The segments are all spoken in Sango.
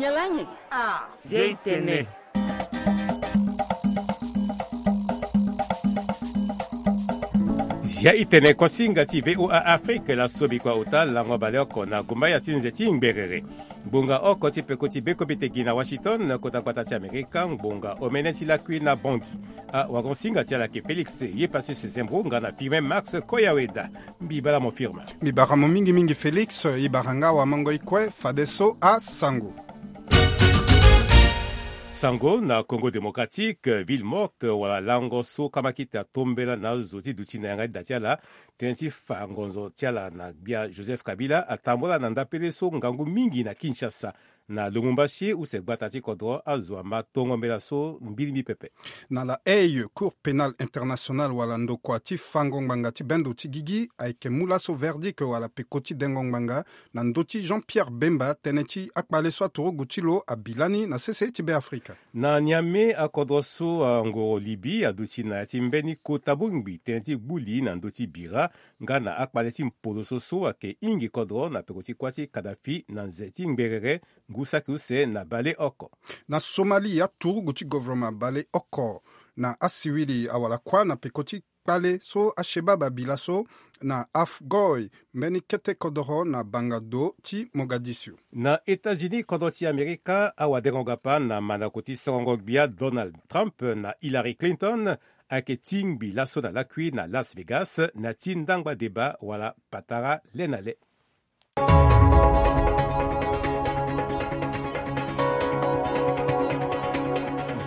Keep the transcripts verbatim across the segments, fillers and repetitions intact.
Nyalangi. Ah, zia itene. Zia itene kuasinga ti VOA Afrique, la sobi kua ota lango baleoko na gumbaya ti nze ti ngberere. Ngbonga oko ti peko ti bekomite gi na Washington, kota gbata ti Amerika, ngbonga omene ti lakui na bongi. Awagonsinga ti ala ke Félix Yepassus Zembro nga na Firmin Max Koyaweda. Mbi bara mo Firmin. Mbi bara mo mingi mingi Félix, e bara nga awamango e kue fadeso asango. Sango na Congo Démocratique, ville morte wala lango so kamakita tombela na azo ti duti na yanga ti da ti ala, tënë ti fa ngonzo ti ala na gbia Joseph Kabila atambula na ndapele so ngangu mingi na Kinshasa. Na Lubumbashi use gbata ti kodro azo ama tongo mbela so mbirimbi pepe. Na La Haye, Cour pénale internationale wala ndokua ti fango ngbanga ti bendo ti gigi ayeke mu laso verdict wala peko ti dengo ngbanga na ndö ti Jean-Pierre Bemba, tënë ti akpale so aturugu ti lo abi lani na sese ti Beafrika. Na Niamey, akodro so angoro Libye aduti na ya ti mbeni kota bongbi tënë ti gbu li na ndö ti bira nga na akpale ti mpoloso so ayeke hingi kodro na peko ti kuâ ti Kadhafi na nze ti ngberere ngu saki use na baleoko. Na Somalie, aturugu ti governement baleoko na asiwili awara kuâ na peko ti kpale so ashebab abi laso na Afgoye, mbeni kete kodoro na banga do ti Mogadiscio. Na États-Unis, kodro ti Amerika awadengo gapa na mandako ti sorongo gbia Donald Trump na Hillary Clinton ayeke tingbi laso na lakui na Las Vegas na ti ndangba deba wala patara le na le.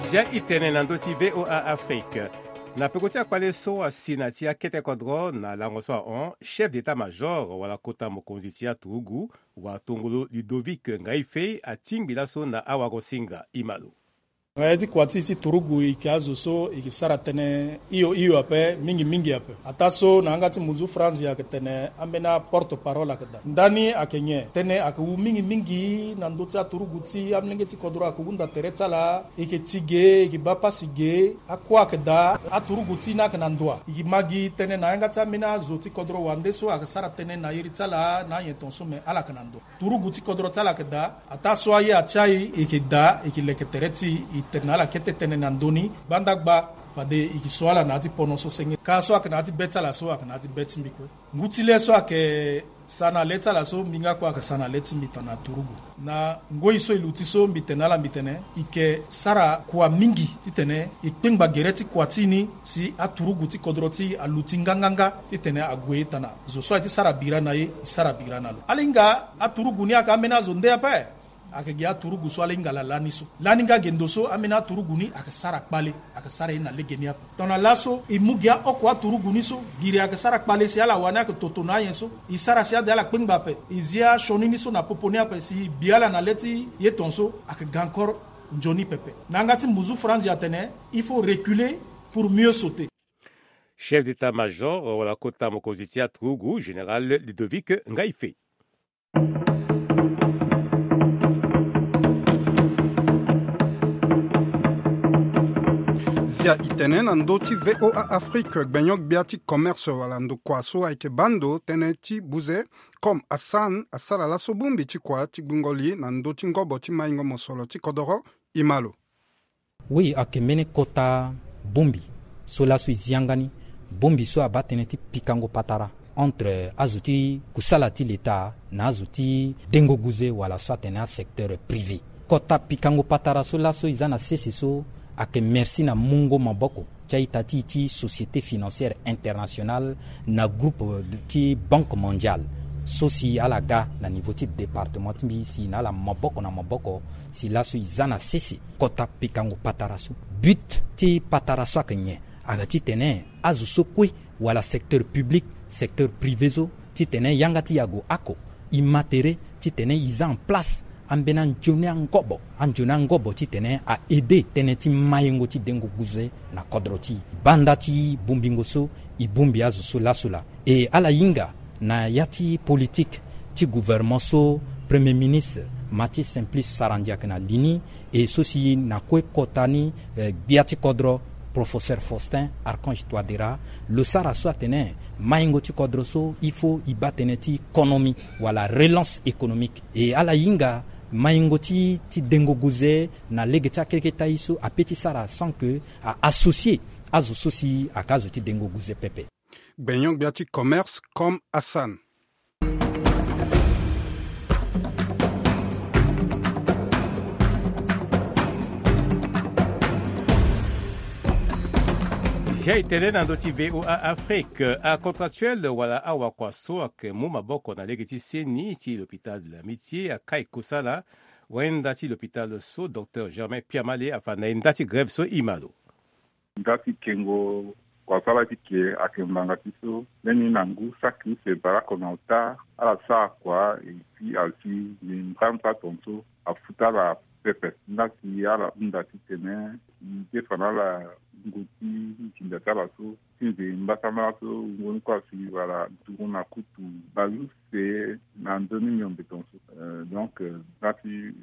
Zia itene na ndö ti VOA Afrique. Na peko ti akpale so asi na ti akete kodro na lango so ahon, chef d'état-major wala kota mokonzi ti aturugu watongolo Ludovic Ngaïfe atingbi laso na awagosinga. Imalo. Nga ye ti kua ti ti turugu e yeke azo so e yeke sara tënë hio hio ape mingi mingi ape. Ataa so na yanga ti munzu Franzi ayeke tene ambeni aporte parole ayeke daa. Ndani ayeke nyen? Tënë ayeke wu mingi mingi na ndö ti aturugu ti amolenge ti kodro ayeke hunda tere ti ala, e yeke ti ge, e yeke baa pasi ge, akua ayeke daa, aturugu ti e ni ayeke na ndoa. E yeke ma gi tënë na yanga ti ambeni azo ti kodro wande so ayeke sara tënë na iri ti ala na anyen tongaso me ala yeke na ndoa. Turugu ti kodro ti ala ayeke daa. Ataa so aye atia e, e yeke daa, e yeke leke tere ti e, e tene na ala kete tënë na ndö ni. Gbanda gba, fade e yeke so ala na ya ti pono so senge. Ka so ayeke na ya ti be ti ala so ayeke na ya ti be ti mbi kue. Ngu ti le so ayeke sa na le ti ala so mbi nga kue ayeke sa na le ti mbi tongana turugu. Na ngoi so e luti so mbi tene na ala mbi tene e yeke sara kua mingi titene e kpengba gere ti kua ti e ni si aturugu ti kodro ti e aluti nganganga titene ague tana zo so aye ti sara bira na e, e sara bira na lo. Ala hinga aturugu ni ayeke ambeni azo nde ape. Ayeke gi aturugu so ala hinga ala lani so. Lani nga gendo so ambeni aturugu ni ayeke sara kpale, ayeke sara ye na legeni ape. Tongana laso e mu gi aoko aturugu ni so, giri ayeke sara kpale si ala wani ayeke toto na anyen so. E sara si ade ala kpengba ape. E zi asioni ni so na popo ni ape si e bi ala na le ti ye tongaso ayeke ga encore nzoni pepe. Na yanga ti mbuzu Franzi atene, il faut reculer pour mieux sauter. Chef d'état-major wala kota mokonzi ti aturugu, général Ludovic Ngaïfe. Zia itene na ndö ti VOA Afrique, gbenyo-gbia ti commerce wala ndokua so ayeke baa ndo tënë ti buze, comme Hassan, asara laso bongbi ti kua ti gbungo li na ndö ti ngobo ti maingo mosoro ti kodoro. Imalo. Oui, ayeke mbeni kota bongbi so laso e zi yanga ni, bongbi so abaa tënë ti pikango patara entre azo ti kusala ti leta na azo ti dengo guze wala so atene asecteur privé. Kota pikango patara so laso e za na sese so ayeke merci na mungo maboko ti a-ita ti e ti Société Financière Internationale na groupe ti Banque Mondiale so si ala ga na niveau ti département ti mbi si na ala maboko na maboko. Si laso e za na sese kota pikango patara so. But ti patara so ayeke nyen? Ayeke titene azo so kue wala secteur public, secteur privé so, titene yanga ti e ague oko, e ma tere titene e za en place ambeni anzoni angobo, anzoni angobo titene a aider tënë ti maingo ti dengo guze na kodro ti e. Banda ti bongbingo so, e bongbi azo so laso laa. E ala hinga na ya ti politique ti gouvernement so Premier ministre Mathieu Simplice Sarandji ayeke na li ni, e so si na kue kota ni, eh, gbia ti kodro Professeur Faustin Archange Touadéra, lo sara so atene maingo ti kodro so il faut e baa tënë ti économie wala relance économique. E ala hinga Maingo ti ti dengo guze na lege ti akeleke tai so ape ti sara sans que a associer azo so si aka azo ti dengo guze pepe. Gbenyon-gbia ti commerce comme Hassan. Zia e tene na ndö ti V O A Afrique, acontractuel wala awakua so ayeke mu maboko na lege ti seni ti l'hôpital de l'Amitié akai kosala. Wenda ti l'hôpital so, docteur Germain Piamale afa na e nda ti grève so e ma lo. Nda ti kengo kuasala ti ke ayeke mbanga ti so, mbeni na ngu saki use baleoko na ota, ala sara kua, et puis asi ngbeni mbrambra tongaso afuta ala pepe. Nda si ala hunda titene e defa na ala ngu ti nginza ti ala so, ti nze mbasambala so wungo ni kue asi wala nduru na kutu baleuse na nzoni miombe tongaso. Euh, donc, euh, nda ti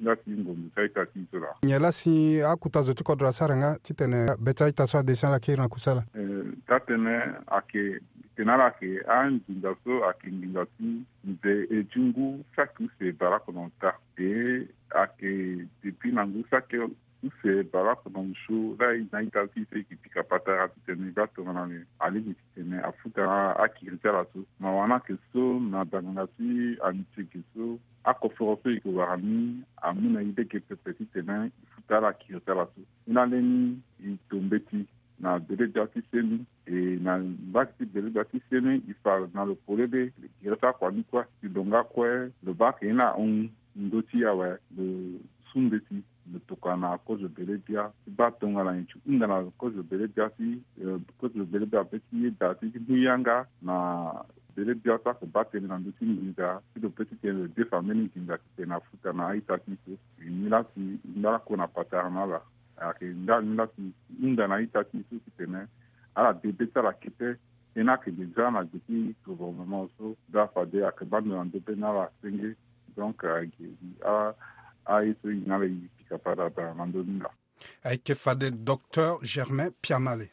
Nga ti ngonzo ti a-ita ti e so laa. Nyen laa si akuta zo ti kodro asara nga titene be ti a-ita so adesi ala kiri na kusala? Eh, taa-tënë ayeke, titene ala yeke anginza so ayeke nginza ti nze e ti ngu saki use baleoko na ota. E ayeke depuis na ngu saki use baleoko na osio laa e na a-ita ti e so e yeke pika patara titene e baa tongana nyen alingbi titene afuta akiri ti ala so. Mawa ni ayeke so na danganga ti Amitié ge so, akoforo so e yeke wara ni amu na e lege pepe titene e futa ala kiri ti ala so. Ni laa lani e to mbeti na bele-gbia ti seni, e na mbage ti bele-gbia ti seni e fa na lo polele gere ti akua ni kue. Ti lo nga kue lo baa ayeke ni ahon ndö ti awe lo su mbeti lo tokua na kozo bele-gbia ti baa tongana nyen ti hunda na kozo bele-gbia ti, eh, kozo bele-gbia be ti yeda ti mu yanga na bele-gbia so ayeke baa tënë na ndö ti nginza ti lo pe titene lo defa mbeni nginza titene afuta na a-ita ti e so. E ni laa si e ngba lakue na patara na ala. Ayeke nga ni laa si e hunda na a-ita ti e so titene ala de be ti ala kete. Tënë ayeke déjà na gbe ti gouvernement so, donc fade ayeke baa ndo na ndö be na ala senge. Donc ayeke a, aye so e na ala e pika patara na ndö ni laa. Ayeke fade Docteur Germain Piamale.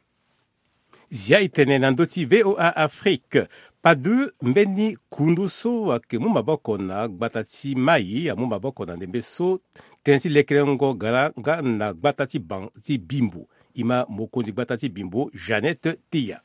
Zia e tene na ndö ti V O A Afrique. Padu mbeni kundu so ayeke mu maboko na gbata ti mai, amu maboko na ndembe so tënë ti lekerengo gara nga na gbata ti ban, ti Bimbo. E ma mokonzi gbata ti Bimbo, Jeannette Teya.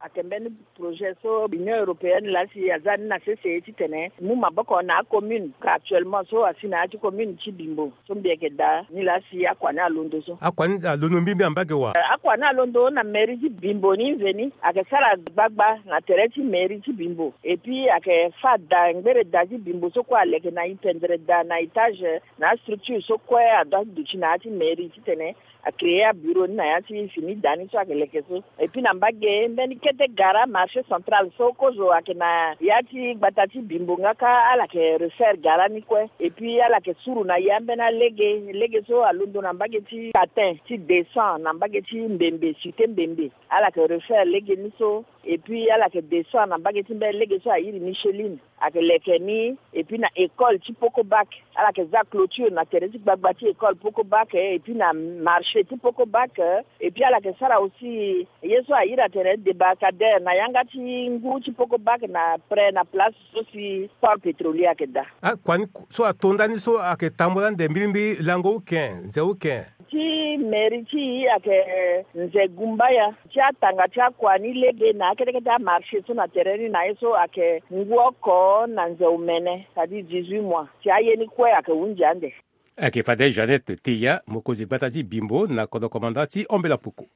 Ayeke mbeni projet so Union Européenne laa si aza ni na sese titene e mu maboko na acommune. Ka actuellement so asi na ya ti commune ti Bimbo so mbi yeke daa ni laa si akua ni alondo so. Akua ni alondo mbirimbiri na mbage wa? Eh, akua ni alondo na mairie ti Bimbo ni nzeni. Ayeke sara gbagba na tere ti mairie ti Bimbo. Et puis ayeke fâ da, ngbere da ti Bimbo so kue aleke na e pendere da na étage na astructure so kue adoit ti duti na ya ti mairie titene a créer abureau ni na ya ti fini da ni so ayeke leke so. Et puis na mbage mbeni kete gara marché central so kozo ayeke na ya ti gbata ti Bimbo nga kâ ala yeke refaire gara ni kue. Et puis ala yeke suru na e ambeni alege, lege so alondo na mbage ti Catin ti deux cents na mbage ti Mbembe, cité Mbembe. Ala yeke refaire lege ni so. Et puis ala yeke descend na mbage ti mbeni lege so airi Micheline. Ayeke leke ni. Et puis na école ti Poko Bac, ala yeke za clôture na tere ti gbagba ti école Poko Bac, eh, et puis na marché ti Poko Bac, eh, et puis ala yeke sara aussi ye so airi atene débarcadère na yanga ti ngu ti Poko Bac na près na place so si port pétrolier ayeke daa. Akua ni so ato ndani so ayeke tambula ande mbirimbiri lango uken, nze uken? Ti mairie ti e ayeke nze gumbaya. Ti atanga ti akua ni lege na akete kete amarché so na tere ni na ye so ayeke ngu oko na nze omene, c'est-à-dire dix-huit mois. Ti aye ni kue ayeke hunzi ande. Ayeke fade Jeannette Teya, mokonzi gbata ti Bimbo na kodro komanda ti Ombela Poko.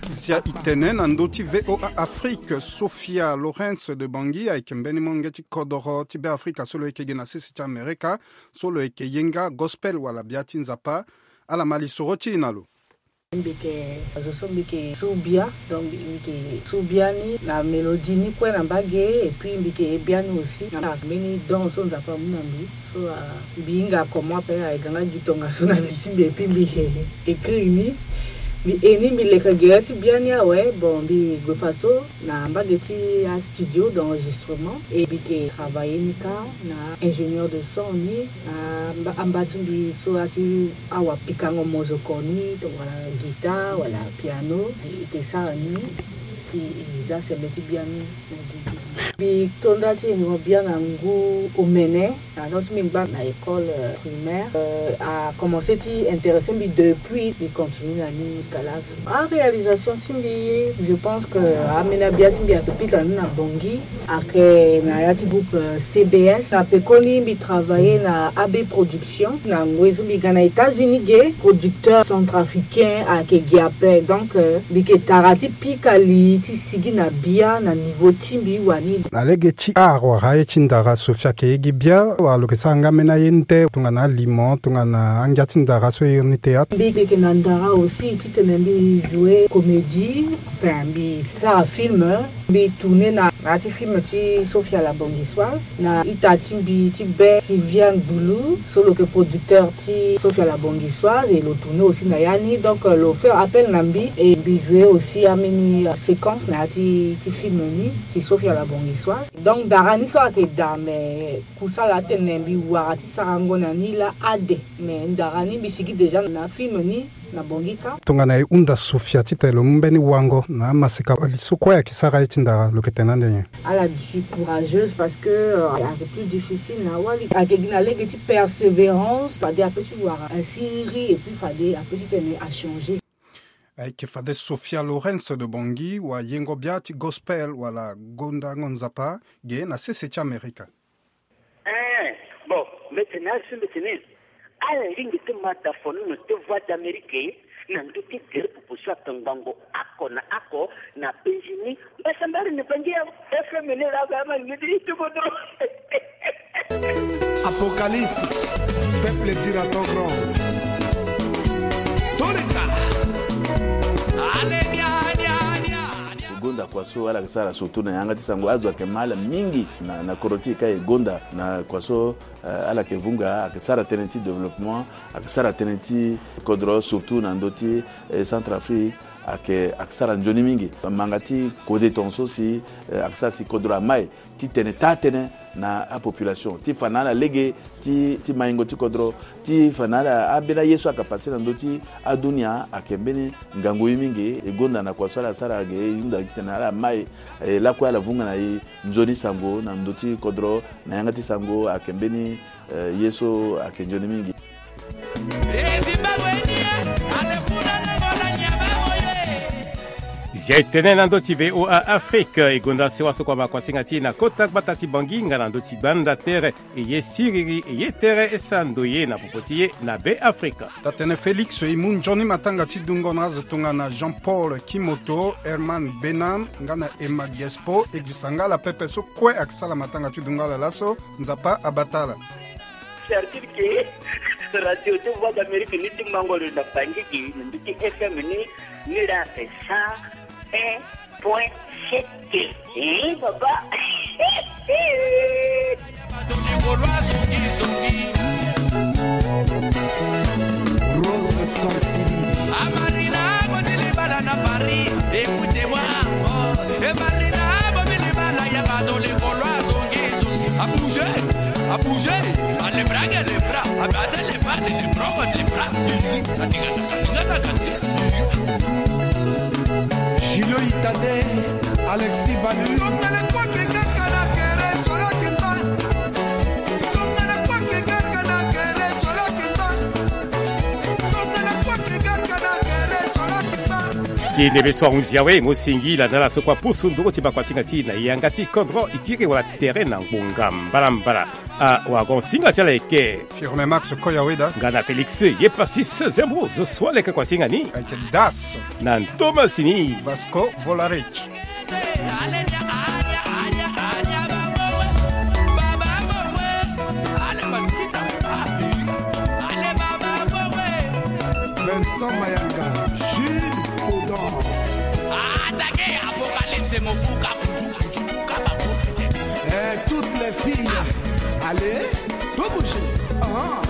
Zia e tene na ndö ti V O A Afrique, Sophia Lawrence de Bangui ayeke mbeni molenge ti kodoro ti Beafrika so lo yeke gi na sese ti Amerika, so lo yeke ye nga gospel wala bia ti Nzapa. Ala ma lisoro ti e na lo. Mbi yeke azo so mbi yeke su bia, donc mbi yeke su bia ni na mélodie ni kue na mbage, et puis mbi yeke ye bia ni aussi na mbeni don so Nzapa amu na mbi. So, ah, mbi hinga comment ape aye ga nga gi tongaso na li ti mbi, et puis mbi yeke écrire ni. Mbi e ni mbi leke gere ti biani awe. Bon, mbi gue faso na mbage ti astudio d'enregistrement e mbi ke travailler ni kâ na ingénieur de son ni. Na amba ti mbi so ati awa pikango mozoko ni to wala guitare wala piano, e ke sara ni si e za sembe ti biani. Mbi to nda ti e mo bia na ngu omene. Na donc ti mbi ngba na école primaire a commencé ti intéressé mbi depuis mbi continue na ni jusqu'à là. Aréalisation ti mbi, je pense que ameni abia ti mbi ake pika ni na bongi. Ake na ya ti groupe C B S na pekoni mbi travailler na A B Production na ngoi so mbi ga na États-Unis ge, producteur centrafricain ake gi ape. Donc mbi ke tara ti pika li ti sigi na bia na niveau ti mbi wani. Na lege ti art wala aye ti ndara Sofia ke ye gi bia wala lo ke sara nga mena ye nde tongana alimo tongana angia ti ndara so e iri ni théâtre? Mbi ke na ndara aussi titene mbi jouer comédie, enfin mbi sara film. Mbi tourner na na ya ti film ti Sofia la Bongisoise na ita ti mbi ti be Sylvia Ngbulu so lo ke producteur ti Sofia la Bongisoise et lo tourner aussi na ya ni. Donc lo faire appel na mbi et mbi jouer aussi ameni séquence na ya ti film ni ti Sofia la Bongisoise. Donc ndara ni so ake daa mais kusala atene mbi wara ti sarango na ni laa ade. Mais ndara ni mbi sigi déjà na film ni na bongi kâ. Tongana e hunda Sofia titene lo mu mbeni wango na amaseka li so kue ake sara ye ti ndara lo ke tene ande nyen? Ala je suis courageuse parce que ake plus difficile na wali ake gi na lege ti persévérance fade ape ti wara asiriri et puis fade ape titene achanger. Ayeke fade Sofia Lawrence de Bongi wayengo bia ti gospel wala gondango Nzapa ge na sese ti Amerika. Ee, bon, mbi tene azo mbi tene ala lingbi ti ma da fonono ti Voix d'Amérique na ndö ti gere popo so atongbango oko na oko na penzi ni. Mbasambara ni bangi ya F M ni laa ba ama lingbi ti ti kodro. Apocalypse, fais plaisir à ton grand. Toleka. Allez, nia, nia, nia. Gonda kua so ala yeke sara surtout na yanga ti sango azo ayeke ma ala mingi na, na kodro ti e ka e gonda na kua so, eh, ala yeke vunga ayeke sara tënë ti développement, ayeke sara tënë ti kodro surtout na ndö ti, eh, Centrafrique ayeke, ayeke sara nzoni mingi. Manga ti kode tongaso si, eh, ayeke sara si kodro amai titene taa tënë na apopulation ti fa na ala lege ti, ti maingo ti kodro ti fa na ala ambeni aye so ayeke pase na ndö ti adunia ayeke mbeni ngangu ye mingi. E gonda na kua so ala sara ge e hunda titene ala mai, e lakue ala vunga na e nzoni sango na ndö ti kodro na yanga ti sango ayeke mbeni, eh, ye so ayeke nzoni mingi. Zia e tene na ndö ti V O A Afrique, e gonda sewa so kua ma kuasinga ti e na kota gbata ti Bangui nga na ndö ti gbanda tere, e ye siriri, e ye tere, e sara ndoye na popo ti e na Be Afrika. Tatene Félix e mu nzoni matanga ti dungo na azo tongana Jean Paul Kimoto, Herman Benam nga na Emma Gespo, e gisa nga ala pepe so kue ayeke sara matanga ti dungo ala laso. Nzapa abata ala. Certitude ke radio ti Voix d'Amérique ni ti mango lo na Bangui gi na ndö ti F M ni, ni la sa un point sept. Eh, papa. Rose Santini. Amarina, botele bala na Paris, écoutez-moi. E Marina, bobele bala ya bato le Gaulois, zongi, zongi. A bouger, a bouger. A les bras, les bras. A baser les bras, les bras, les bras. Julio Itade, Alexis Balu. Ti ndembe so ahunzi awe mo singila na ala so kua pusu nduru ti bakuasinga ti na yanga ti kodro ikiri wala tere na ngbonga mbalambala. Ah, wagon singa ti ala eke. Firme Max Koyaweda. Nga na Félix ye Pasis Zembro zo so aleke kuasinga ni. Ayeke Das. Na ntomasi ni. Vasco Volarich. Vincent Mayanga, Jules Audon. Attaquez, Apocalypse, mon bouc à bouc. Eh, toutes les filles, allez, vous bougez. Ah.